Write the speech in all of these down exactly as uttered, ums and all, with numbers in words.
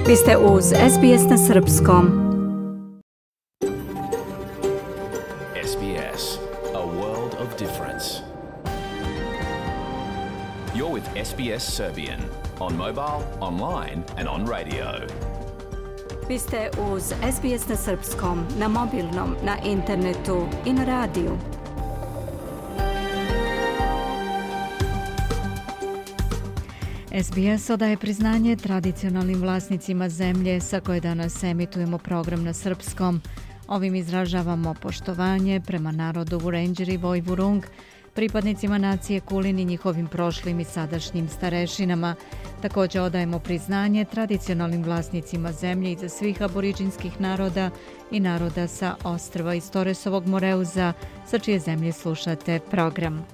Vi ste uz S B S na srpskom. S B S, a world of difference. You're with S B S Serbian on mobile, online and on radio. Vi ste uz S B S na srpskom, na mobilnom, na internetu i na radiju. S B S odaje priznanje tradicionalnim vlasnicima zemlje sa koje danas emitujemo program na srpskom. Ovim izražavamo poštovanje prema narodu Vurendjeri Vojvurung, pripadnicima nacije Kulin i njihovim prošlim i sadašnjim starešinama. Također odajemo priznanje tradicionalnim vlasnicima zemlje iza svih aboriđinskih naroda i naroda sa ostrva iz Toresovog Moreuza, sa čije zemlje slušate program.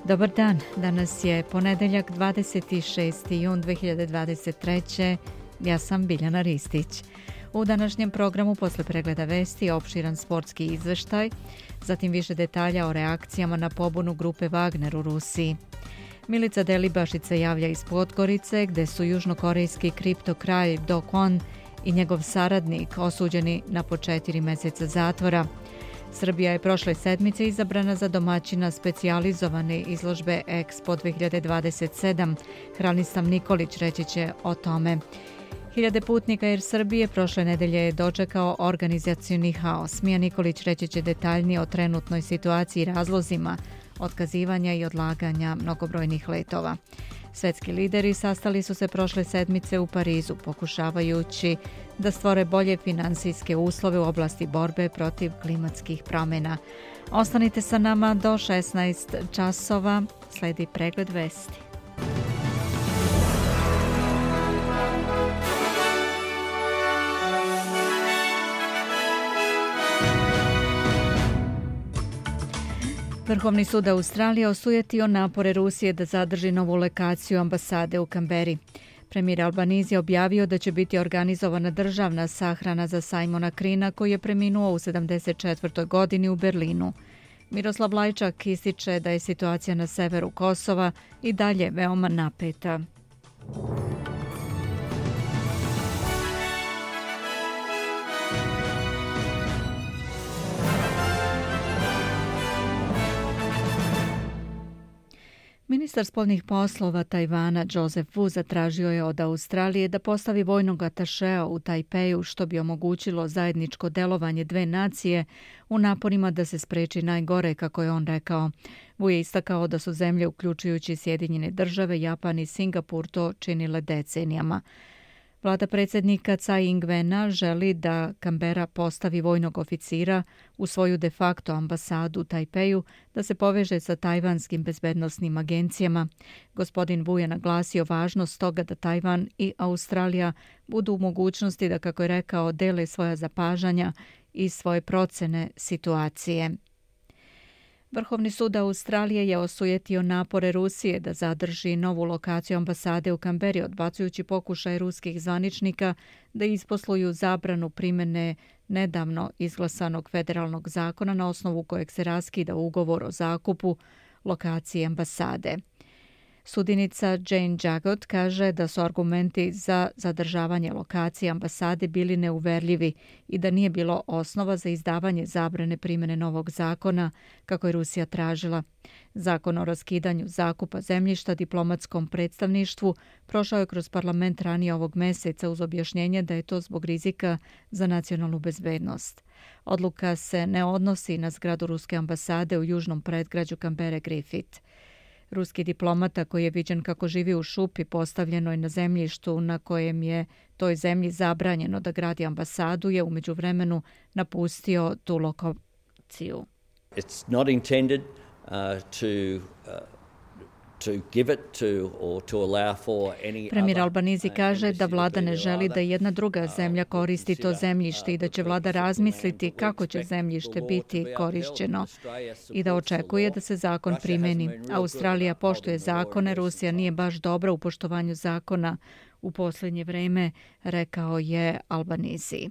Dobar dan, danas je ponedeljak dvadeset šesti jun dve hiljade dvadeset treće. Ja sam Biljana Ristić. U današnjem programu posle pregleda vesti opširan sportski izveštaj, zatim više detalja o reakcijama na pobunu grupe Wagner u Rusiji. Milica Delibašić se javlja iz Podgorice, gde su južnokorejski kriptokraj Do Kwon i njegov saradnik osuđeni na po četiri meseca zatvora. Srbija je prošle sedmice izabrana za domaćina specijalizovane izložbe Expo dve hiljade dvadeset sedam. Hranislav Nikolić reći će o tome. Hiljade putnika Air Srbije prošle nedelje je dočekao organizacioni haos. Mija Nikolić reći će detaljnije o trenutnoj situaciji i razlozima otkazivanja i odlaganja mnogobrojnih letova. Svetski lideri sastali su se prošle sedmice u Parizu, pokušavajući da stvore bolje finansijske uslove u oblasti borbe protiv klimatskih promjena. Ostanite sa nama do šesnaest časova, sledi pregled vesti. Vrhovni sud Australije osujetio napore Rusije da zadrži novu lokaciju ambasade u Kamberi. Premijer Albanizi je objavio da će biti organizovana državna sahrana za Simona Krina, koji je preminuo u sedamdeset četvrtoj godini u Berlinu. Miroslav Lajčak ističe da je situacija na severu Kosova i dalje veoma napeta. Ministar spoljnih poslova Tajvana Joseph Wu zatražio je od Australije da postavi vojnog atašea u Tajpeju, što bi omogućilo zajedničko delovanje dve nacije u naporima da se spreči najgore, kako je on rekao. Wu je istakao da su zemlje, uključujući Sjedinjene države, Japan i Singapur, to činile decenijama. Vlada predsjednika Tsai Ing-wena želi da Kambera postavi vojnog oficira u svoju de facto ambasadu u Tajpeju, da se poveže sa tajvanskim bezbednosnim agencijama. Gospodin Wu je naglasio važnost toga da Tajvan i Australija budu u mogućnosti da, kako je rekao, dele svoja zapažanja i svoje procene situacije. Vrhovni sud Australije je osujetio napore Rusije da zadrži novu lokaciju ambasade u Kamberi, odbacujući pokušaj ruskih zvaničnika da isposluju zabranu primjene nedavno izglasanog federalnog zakona na osnovu kojeg se raskida ugovor o zakupu lokacije ambasade. Sudinica Jane Jagot kaže da su argumenti za zadržavanje lokacije ambasade bili neuverljivi i da nije bilo osnova za izdavanje zabrane primjene novog zakona, kako je Rusija tražila. Zakon o raskidanju zakupa zemljišta diplomatskom predstavništvu prošao je kroz parlament ranije ovog meseca uz objašnjenje da je to zbog rizika za nacionalnu bezbednost. Odluka se ne odnosi na zgradu ruske ambasade u južnom predgrađu Kambere Griffith. Ruski diplomata koji je viđen kako živi u šupi postavljenoj na zemljištu na kojem je toj zemlji zabranjeno da gradi ambasadu je u međuvremenu napustio tu lokaciju. It's not intended uh, to uh, Premijer Albanizi kaže da vlada ne želi da jedna druga zemlja koristi to zemljište i da će vlada razmisliti kako će zemljište biti korišćeno i da očekuje da se zakon primeni. Australija poštuje zakone, Rusija nije baš dobra u poštovanju zakona u posljednje vreme, rekao je Albanizi.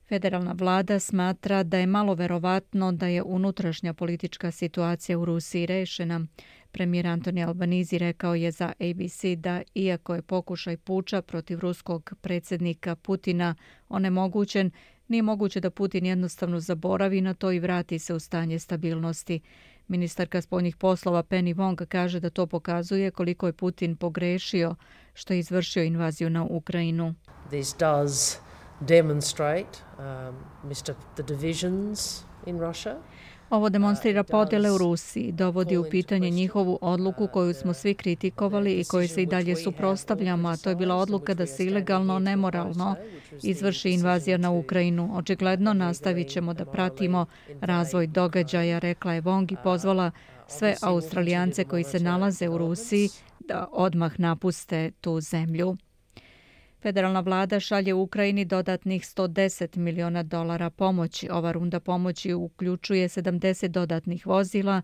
Federalna vlada smatra da je malo verovatno da je unutrašnja politička situacija u Rusiji rešena. Premijer Antoni Albanizi rekao je za A B C da iako je pokušaj puča protiv ruskog predsjednika Putina onemogućen, nije moguće da Putin jednostavno zaboravi na to i vrati se u stanje stabilnosti. Ministarka spoljnih poslova Penny Wong kaže da to pokazuje koliko je Putin pogrešio što je izvršio invaziju na Ukrajinu. This does demonstrate um, mister the divisions in Russia. Ovo demonstrira podjele u Rusiji, dovodi u pitanje njihovu odluku koju smo svi kritikovali i koju se i dalje suprotstavljamo, a to je bila odluka da se ilegalno, nemoralno izvrši invazija na Ukrajinu. Očigledno nastavit ćemo da pratimo razvoj događaja, rekla je Wong i pozvala sve Australijance koji se nalaze u Rusiji da odmah napuste tu zemlju. Federalna vlada šalje u Ukrajini dodatnih sto deset miliona dolara pomoći. Ova runda pomoći uključuje sedamdeset dodatnih vozila,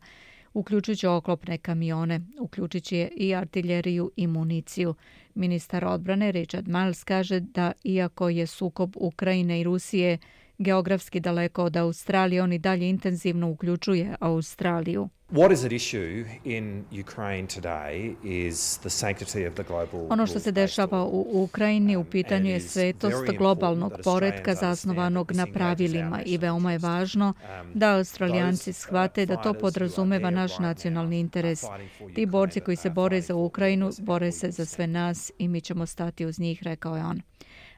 uključujući oklopne kamione, uključujući i artiljeriju i municiju. Ministar odbrane Richard Marles kaže da iako je sukob Ukrajine i Rusije geografski daleko od Australije, on i dalje intenzivno uključuje Australiju. What is at issue in Ukraine today is the sanctity of the global. Ono što se dešava u Ukrajini u pitanju je svetost globalnog poretka zasnovanog na pravilima i veoma je važno da Australijanci shvate da to podrazumeva naš nacionalni interes. Ti borci koji se bore za Ukrajinu bore se za sve nas i mi ćemo stati uz njih, rekao je on.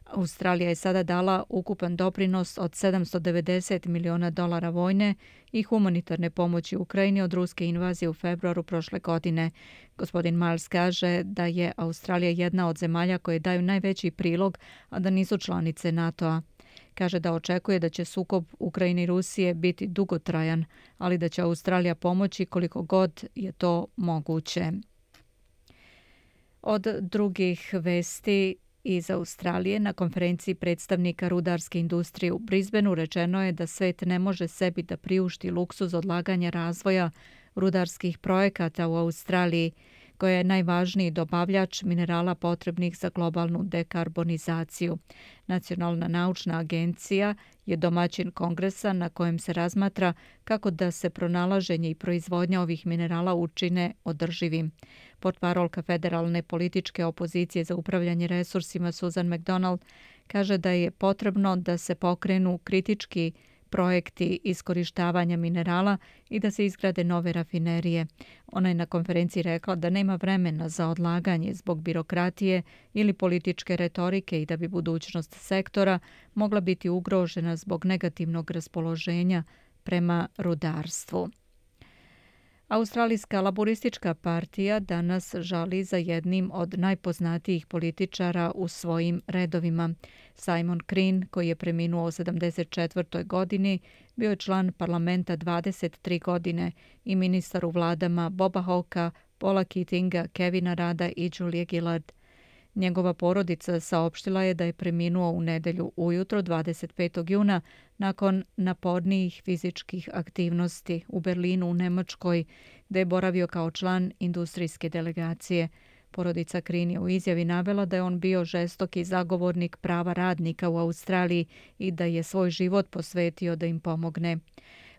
Australija je sada dala ukupan doprinos od sedamsto devedeset miliona dolara vojne i humanitarne pomoći Ukrajini od ruske invazije u februaru prošle godine. Gospodin Miles kaže da je Australija jedna od zemalja koje daju najveći prilog, a da nisu članice NATO-a. Kaže da očekuje da će sukob Ukrajine i Rusije biti dugotrajan, ali da će Australija pomoći koliko god je to moguće. Od drugih vesti iz Australije na konferenciji predstavnika rudarske industrije u Brisbaneu rečeno je da svet ne može sebi da priušti luksuz odlaganja razvoja rudarskih projekata u Australiji, koja je najvažniji dobavljač minerala potrebnih za globalnu dekarbonizaciju. Nacionalna naučna agencija je domaćin kongresa na kojem se razmatra kako da se pronalaženje i proizvodnja ovih minerala učine održivim. Portparolka federalne političke opozicije za upravljanje resursima Susan McDonald kaže da je potrebno da se pokrenu kritički projekti iskorištavanja minerala i da se izgrade nove rafinerije. Ona je na konferenciji rekla da nema vremena za odlaganje zbog birokratije ili političke retorike i da bi budućnost sektora mogla biti ugrožena zbog negativnog raspoloženja prema rudarstvu. Australijska laboristička partija danas žali za jednim od najpoznatijih političara u svojim redovima. Simon Crean, koji je preminuo u sedamdeset četvrtoj godini, bio je član parlamenta dvadeset tri godine i ministar u vladama Boba Hawkea, Paula Keatinga, Kevina Rada i Julie Gillard. Njegova porodica saopštila je da je preminuo u nedelju ujutro dvadeset petog juna nakon napornijih fizičkih aktivnosti u Berlinu u Nemačkoj, gde je boravio kao član industrijske delegacije. Porodica Crean je u izjavi navela da je on bio žestoki zagovornik prava radnika u Australiji i da je svoj život posvetio da im pomogne.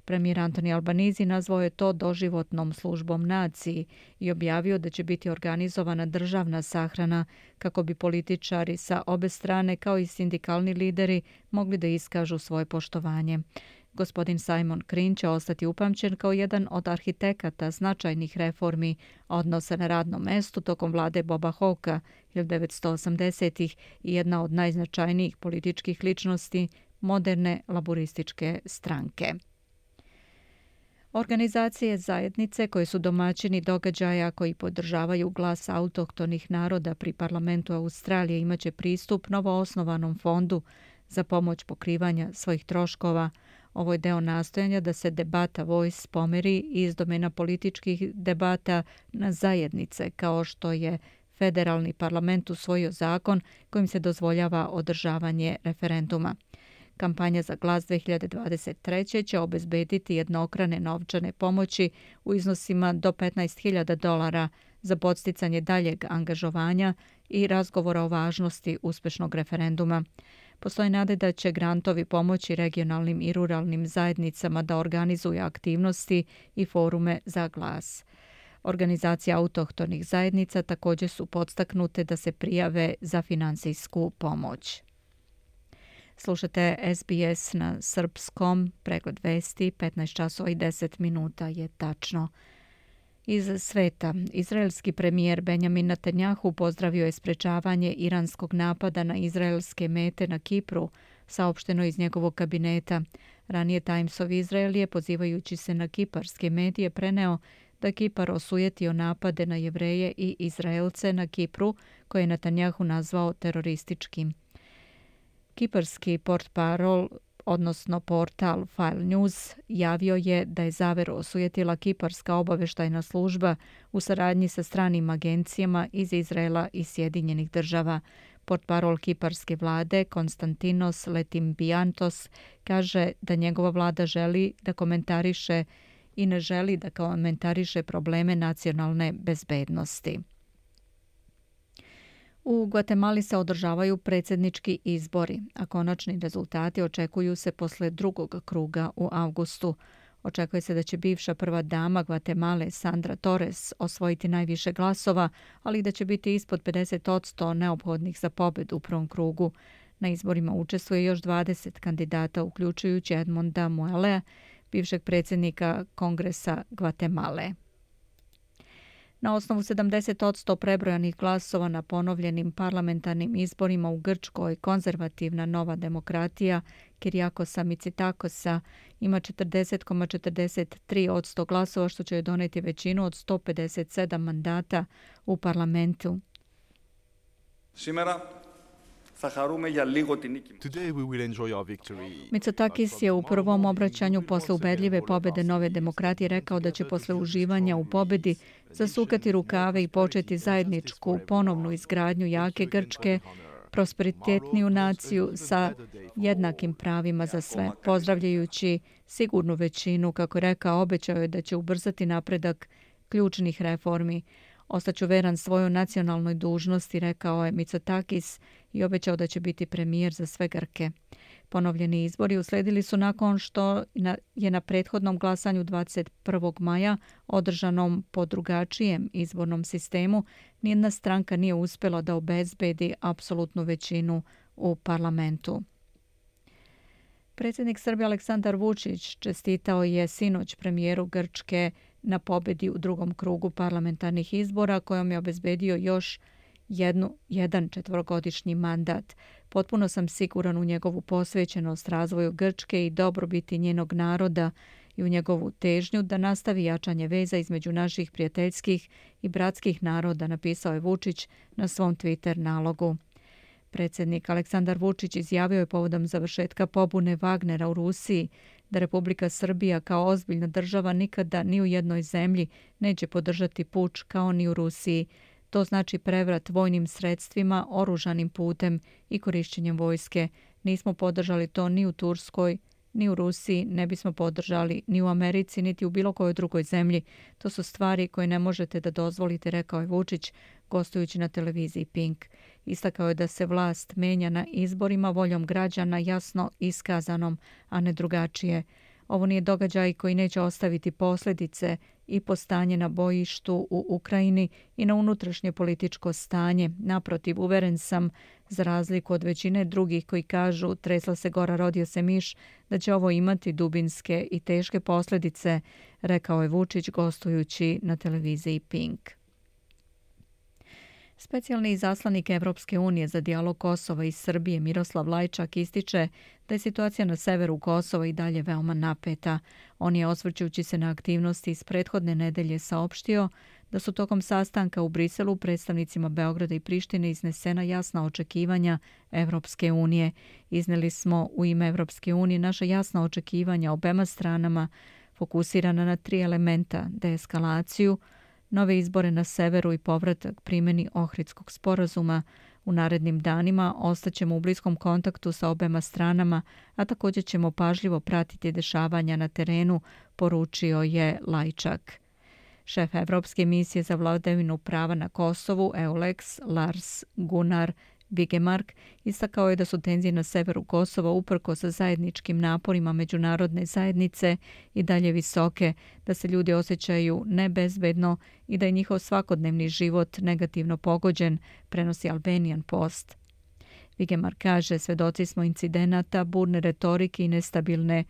Premijer Antoni Albanizi nazvao je to doživotnom službom naciji i objavio da će biti organizovana državna sahrana kako bi političari sa obe strane kao i sindikalni lideri mogli da iskažu svoje poštovanje. Gospodin Simon Crean će ostati upamćen kao jedan od arhitekata značajnih reformi odnosa na radnom mestu tokom vlade Boba Hawkea hiljadu devetsto osamdesetih i jedna od najznačajnijih političkih ličnosti moderne laborističke stranke. Organizacije zajednice koje su domaćini događaja koji podržavaju glas autohtonih naroda pri parlamentu Australije imaće pristup novoosnovanom fondu za pomoć pokrivanja svojih troškova. Ovo je deo nastojanja da se debata Voice pomeri iz domena političkih debata na zajednice, kao što je federalni parlament usvojio zakon kojim se dozvoljava održavanje referenduma. Kampanja za glas dve hiljade dvadeset treće će obezbediti jednokrane novčane pomoći u iznosima do petnaest hiljada dolara za podsticanje daljeg angažovanja i razgovora o važnosti uspešnog referenduma. Postoje nade da će grantovi pomoći regionalnim i ruralnim zajednicama da organizuju aktivnosti i forume za glas. Organizacije autohtonih zajednica također su podstaknute da se prijave za finansijsku pomoć. Slušate S B S na srpskom, pregled vesti, petnaest časova i deset minuta je tačno. Iz sveta, izraelski premijer Benjamin Netanjahu pozdravio je sprečavanje iranskog napada na izraelske mete na Kipru, saopšteno iz njegovog kabineta. Ranije Times of Israel je, pozivajući se na kiparske medije, preneo da Kipar osujetio napade na Jevreje i Izraelce na Kipru, koje je Netanjahu nazvao terorističkim. Kiparski portparol, odnosno portal File News, javio je da je zaveru osujetila kiparska obavještajna služba u saradnji sa stranim agencijama iz Izraela i Sjedinjenih država. Portparol kiparske vlade Konstantinos Letimbiantos kaže da njegova vlada želi da komentariše i ne želi da komentariše probleme nacionalne bezbednosti. U Gvatemali se održavaju predsjednički izbori, a konačni rezultati očekuju se posle drugog kruga u avgustu. Očekuje se da će bivša prva dama Gvatemale Sandra Torres osvojiti najviše glasova, ali da će biti ispod pedeset posto neophodnih za pobedu u prvom krugu. Na izborima učestvuje još dvadeset kandidata, uključujući Edmonda Muelea, bivšeg predsjednika Kongresa Gvatemale. Na osnovu sedamdeset posto prebrojanih glasova na ponovljenim parlamentarnim izborima u Grčkoj, konzervativna Nova demokratija Kirijakosa Mitsitakosa ima četrdeset zarez četrdeset tri posto glasova, što će joj doneti većinu od sto pedeset sedam mandata u parlamentu. Mitsotakis je u prvom obraćanju posle ubedljive pobede Nove demokratije rekao da će posle uživanja u pobedi zasukati rukave i početi zajedničku ponovnu izgradnju jake Grčke, prosperitetniju naciju sa jednakim pravima za sve. Pozdravljajući sigurnu većinu, kako je rekao, obećao je da će ubrzati napredak ključnih reformi. Ostaću veran svojoj nacionalnoj dužnosti, rekao je Mitsotakis i obećao da će biti premijer za sve Grke. Ponovljeni izbori usledili su nakon što je na prethodnom glasanju dvadeset prvog maja, održanom po drugačijem izbornom sistemu, nijedna stranka nije uspjela da obezbedi apsolutnu većinu u parlamentu. Predsjednik Srbije Aleksandar Vučić čestitao je sinoć premijeru Grčke na pobedi u drugom krugu parlamentarnih izbora, kojom je obezbedio još jednu, jedan četvorogodišnji mandat. Potpuno sam siguran u njegovu posvećenost razvoju Grčke i dobrobiti njenog naroda i u njegovu težnju da nastavi jačanje veza između naših prijateljskih i bratskih naroda, napisao je Vučić na svom Twitter nalogu. Predsjednik Aleksandar Vučić izjavio je povodom završetka pobune Wagnera u Rusiji da Republika Srbija kao ozbiljna država nikada ni u jednoj zemlji neće podržati puč kao ni u Rusiji. To znači prevrat vojnim sredstvima, oružanim putem i korišćenjem vojske. Nismo podržali to ni u Turskoj, ni u Rusiji, ne bismo podržali ni u Americi, niti u bilo kojoj drugoj zemlji. To su stvari koje ne možete da dozvolite, rekao je Vučić, gostujući na televiziji Pink. Istakao je da se vlast menja na izborima voljom građana jasno iskazanom, a ne drugačije. Ovo nije događaj koji neće ostaviti posljedice i po stanje na bojištu u Ukrajini i na unutrašnje političko stanje. Naprotiv, uveren sam, za razliku od većine drugih koji kažu tresla se gora, rodio se miš, da će ovo imati dubinske i teške posljedice, rekao je Vučić gostujući na televiziji Pink. Specijalni izaslanik Evropske unije za dijalog Kosova i Srbije Miroslav Lajčak ističe da je situacija na severu Kosova i dalje veoma napeta. On je, osvrćujući se na aktivnosti iz prethodne nedelje, saopštio da su tokom sastanka u Briselu predstavnicima Beograda i Prištine iznesena jasna očekivanja Evropske unije. Izneli smo u ime Evropske unije naša jasna očekivanja obema stranama, fokusirana na tri elementa: deeskalaciju, nove izbore na severu i povratak primjeni Ohridskog sporazuma. U narednim danima ostaćemo u bliskom kontaktu sa obema stranama, a također ćemo pažljivo pratiti dešavanja na terenu, poručio je Lajčak. Šef Evropske misije za vladavinu prava na Kosovu, EULEX, Lars Gunnar Vigemark istakao je da su tenzije na severu Kosova uprkos sa zajedničkim naporima međunarodne zajednice i dalje visoke, da se ljudi osjećaju nebezbedno i da je njihov svakodnevni život negativno pogođen, prenosi Albanian Post. Vigemark kaže, svedoci smo incidenata, burne retorike i nestabilne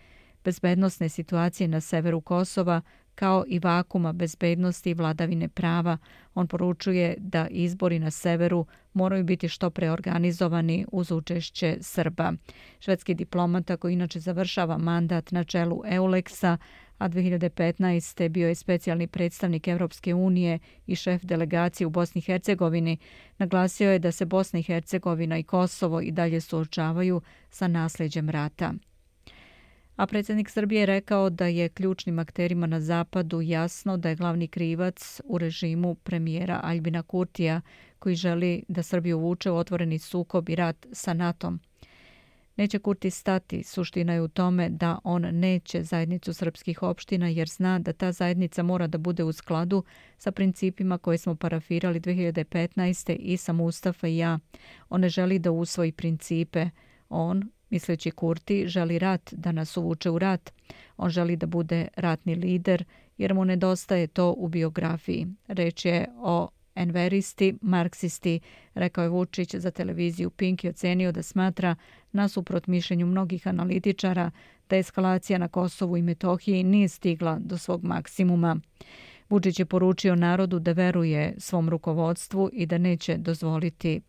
bezbednosne situacije na severu Kosova, kao i vakuma bezbednosti i vladavine prava. On poručuje da izbori na severu moraju biti što pre organizovani uz učešće Srba. Švedski diplomata koji inače završava mandat na čelu EULEX-a, a dve hiljade petnaeste. bio je specijalni predstavnik Evropske unije i šef delegacije u Bosni i Hercegovini, naglasio je da se Bosna i Hercegovina i Kosovo i dalje suočavaju sa nasljeđem rata. A predsjednik Srbije je rekao da je ključnim akterima na zapadu jasno da je glavni krivac u režimu premijera Aljbina Kurtija, koji želi da Srbiju uvuče u otvoreni sukob i rat sa NATO-om. Neće Kurti stati, suština je u tome da on neće zajednicu srpskih opština jer zna da ta zajednica mora da bude u skladu sa principima koje smo parafirali dve hiljade petnaeste. i sam Mustafa i ja. On ne želi da usvoji principe. On, misleći Kurti, želi rat, da nas uvuče u rat. On želi da bude ratni lider jer mu nedostaje to u biografiji. Reč je o enveristi, marksisti, rekao je Vučić za televiziju Pink i ocenio da smatra, nasuprot mišljenju mnogih analitičara, da eskalacija na Kosovu i Metohiji nije stigla do svog maksimuma. Vučić je poručio narodu da veruje svom rukovodstvu i da neće dozvoliti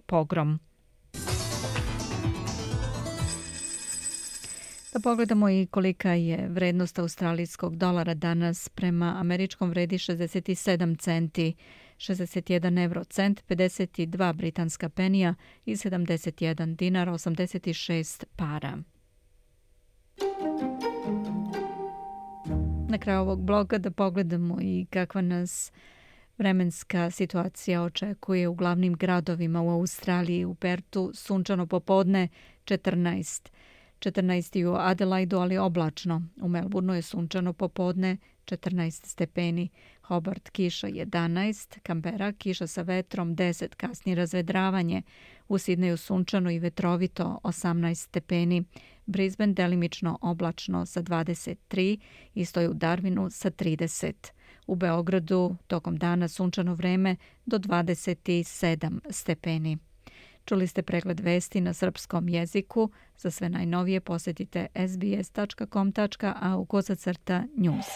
pogrom. Da pogledamo i kolika je vrednost australijskog dolara danas. Prema američkom vredi šezdeset sedam centi, šezdeset jedan euro cent, pedeset dva britanska penija i sedamdeset jedan dinar, osamdeset šest para. Na kraju ovog bloga da pogledamo i kakva nas vremenska situacija očekuje u glavnim gradovima u Australiji. U Pertu sunčano popodne četrnaest. četrnaest u Adelaidu, ali oblačno. U Melbourneu je sunčano popodne četrnaest stepeni. Hobart kiša jedanaest, Canberra kiša sa vetrom deset, kasnije razvedravanje. U Sidneju sunčano i vetrovito osamnaest stepeni. Brisbane delimično oblačno sa dvadeset tri, isto je u Darwinu sa trideset. U Beogradu tokom dana sunčano vreme do dvadeset sedam stepeni. Čuli ste pregled vesti na srpskom jeziku. Za sve najnovije posjetite es be es tačka com tačka a u kosacrta news.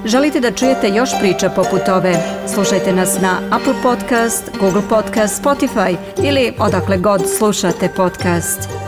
Želite da čujete još priča poput ove? Slušajte nas na Apple Podcast, Google Podcast, Spotify ili odakle god slušate podcast.